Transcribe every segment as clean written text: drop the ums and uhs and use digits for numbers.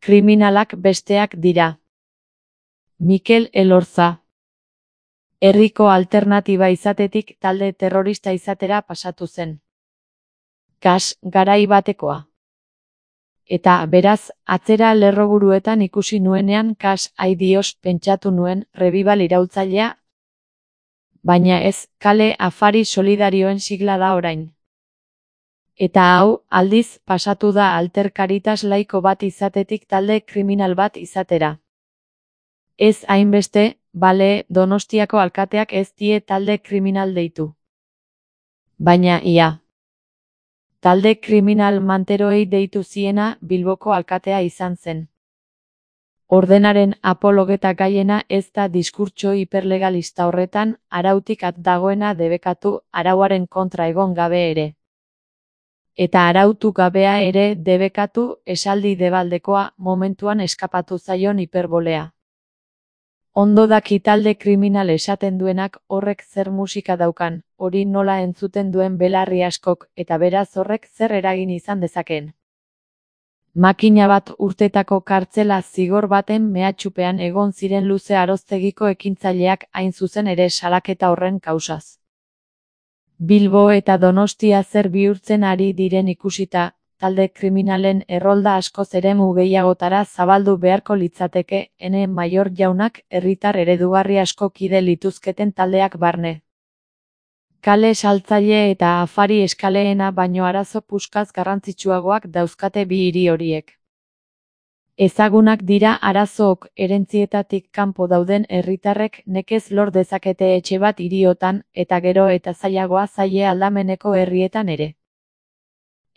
kriminalak besteak dira. Mikel Elorza. Herriko alternatiba izatetik talde terrorista izatera pasatu zen. Kas garai batekoa. Eta beraz, atzera lerroburuetan ikusi nuenean kas aidioz pentsatu nuen Rebibal iraultzailea, baina ez, kale afari solidarioen sigla da orain. Eta hau, aldiz, pasatu da alter karitas laiko bat izatetik talde kriminal bat izatera. Ez hainbeste, bale, Donostiako alkateak ez die talde kriminal deitu. Baina ia. Talde kriminal manteroei deitu ziena Bilboko alkatea izan zen. Ordenaren apologeta gaiena ez da diskurtso hiperlegalista horretan arautik at dagoena debekatu arauaren kontra egon gabe ere. Eta arautu gabea ere debekatu esaldi debaldekoa momentuan eskapatu zaion hiperbolea. Ondo daki talde kriminal esaten duenak horrek zer musika daukan, hori nola entzuten duen belarri askok, eta beraz horrek zer eragin izan dezakeen. Makina bat urtetako kartzela zigor baten mehatxupean egon ziren Luze Aroztegiko ekintzaileak hain zuzen ere salaketa horren kausaz. Bilbo eta Donostia zer bihurtzen ari diren ikusita, talde kriminalen errolda askoz eremu gehiagotara zabaldu beharko litzateke, ene Maior jaunak herritar eredugarri asko kide lituzketen taldeak barne. Kale saltzaile eta afari eskaleena baino arazo puskaz garrantzitsuagoak dauzkate bi hiri horiek. Ezagunak dira arazook erentzietatik kanpo dauden herritarrek nekez lor dezakete etxe bat hiriotan, eta gero eta zailagoa zaie aldameneko herrietan ere.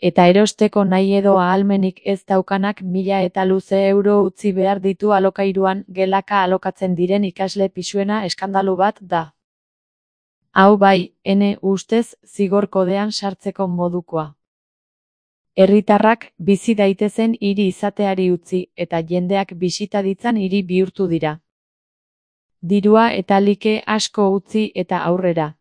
Eta erosteko nahi edo ahalmenik ez daukanak 1000 eta luze euro utzi behar ditu alokairuan gelaka alokatzen diren ikasle pisuena eskandalu bat da. Hau bai, ene ustez zigor kodean sartzeko modukoa. Herritarrak bizi daitezen hiri izateari utzi eta jendeak bisita ditzan hiri bihurtu dira. Dirua eta like asko utzi eta aurrera.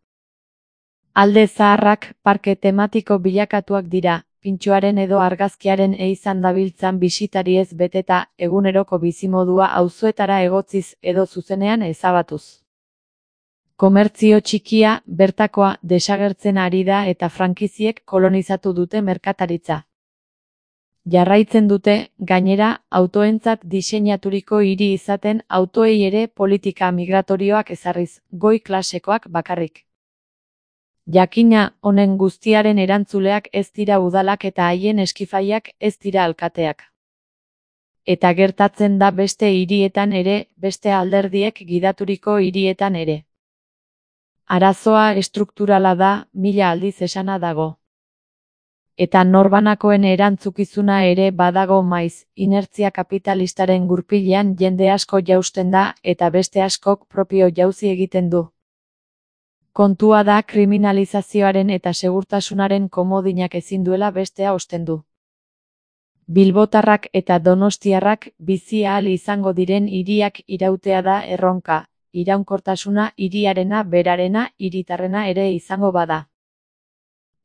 Alde zaharrak parke tematiko bilakatuak dira, pintxoaren edo argazkiaren izan dabiltzan bisitariez beteta eguneroko bizimodua auzoetara egotziz edo zuzenean ezabatuz. Komertzio txikia, bertakoa, desagertzen ari da eta frankiziek kolonizatu dute merkataritza. Jarraitzen dute, gainera, autoentzat diseinaturiko hiri izaten autoei ere politika migratorioak ezarriz, goi klasekoak bakarrik. Jakina, honen guztiaren erantzuleak ez dira udalak eta haien eskifaiak ez dira alkateak. Eta gertatzen da beste hirietan ere, beste alderdiek gidaturiko hirietan ere. Arazoa estrukturala da, 1000 aldiz esana dago. Eta norbanakoen erantzukizuna ere badago maiz, inertzia kapitalistaren gurpilean jende asko jausten da eta beste askok propio jauzi egiten du. Kontua da kriminalizazioaren eta segurtasunaren komodinak ezin duela bestea ostendu. Bilbotarrak eta donostiarrak bizi ahal izango diren hiriak irautea da erronka, iraunkortasuna hiriarena berarena hiritarrena ere izango bada.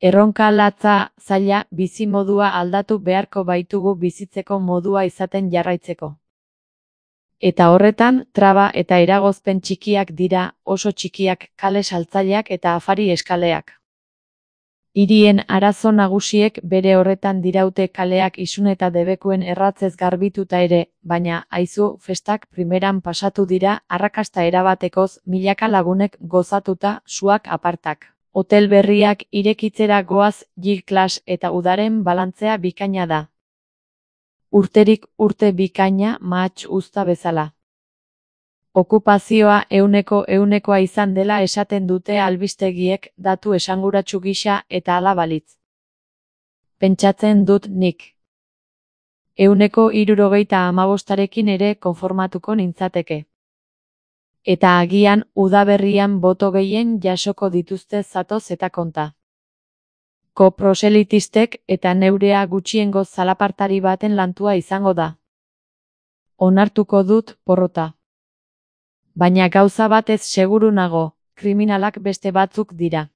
Erronka latza, zaila, bizimodua aldatu beharko baitugu bizitzeko modua izaten jarraitzeko. Eta horretan, traba eta eragozpen txikiak dira, oso txikiak, kale saltzaileak eta afari eskaleak. Hirien arazo nagusiek bere horretan diraute kaleak isun eta debekuen erratzez garbituta ere, baina, aizu, festak primeran pasatu dira, arrakasta erabatekoz, milaka lagunek gozatuta, suak apartak. Hotel berriak irekitzera goaz, G-Class eta udaren balantzea bikaina da. Urterik urte bikaina mahats uzta bezala. Okupazioa 100%koa izan dela esaten dute albistegiek datu esanguratsu gisa eta hala balitz. Pentsatzen dut nik. 165arekin ere konformatuko nintzateke. Eta agian udaberrian boto gehien jasoko dituzte zatoz eta konta. Koproselitistek eta neurea gutxiengo zalapartari baten lantua izango da. Onartuko dut porrota. Baina gauza batez seguru nago, kriminalak beste batzuk dira.